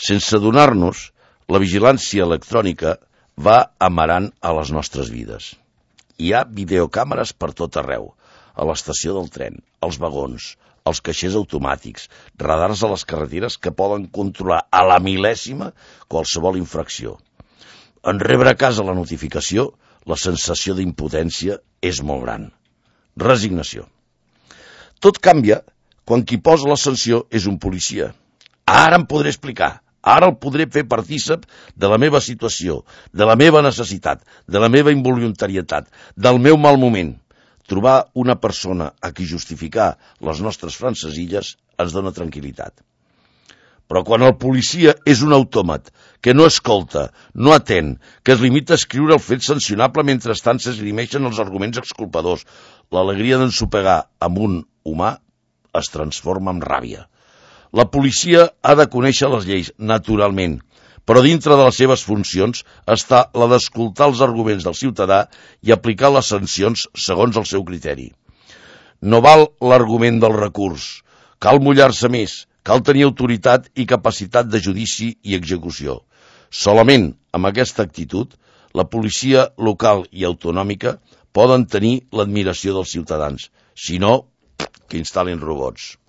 Sense adonar-nos, la vigilància electrònica va amarant a les nostres vides. Hi ha videocàmeres per tot arreu, a l'estació del tren, als vagons, als caixers automàtics, radars a les carreteres que poden controlar a la mil·lèsima qualsevol infracció. En rebre a casa la notificació, la sensació d'impotència és molt gran. Resignació. Tot canvia quan qui posa la sanció és un policia. Ara em podré explicar, ara el podré fer partícip de la meva situació, de la meva necessitat, de la meva involuntarietat, del meu mal moment. Trobar una persona a qui justificar les nostres francesilles ens dona tranquil·litat. Però quan el policia és un autòmat que no escolta, no atén, que es limita a escriure el fet sancionable mentrestant s'esgrimeixen els arguments exculpadors, l'alegria d'ensopegar amb un humà es transforma en ràbia. La policia ha de conèixer les lleis, naturalment, però dintre de les seves funcions està la d'escoltar els arguments del ciutadà i aplicar les sancions segons el seu criteri. No val l'argument del recurs. Cal mullar-se més, cal tenir autoritat i capacitat de judici i execució. Solament amb aquesta actitud, la policia local i autonòmica poden tenir l'admiració dels ciutadans. Si no, que instal·lin robots.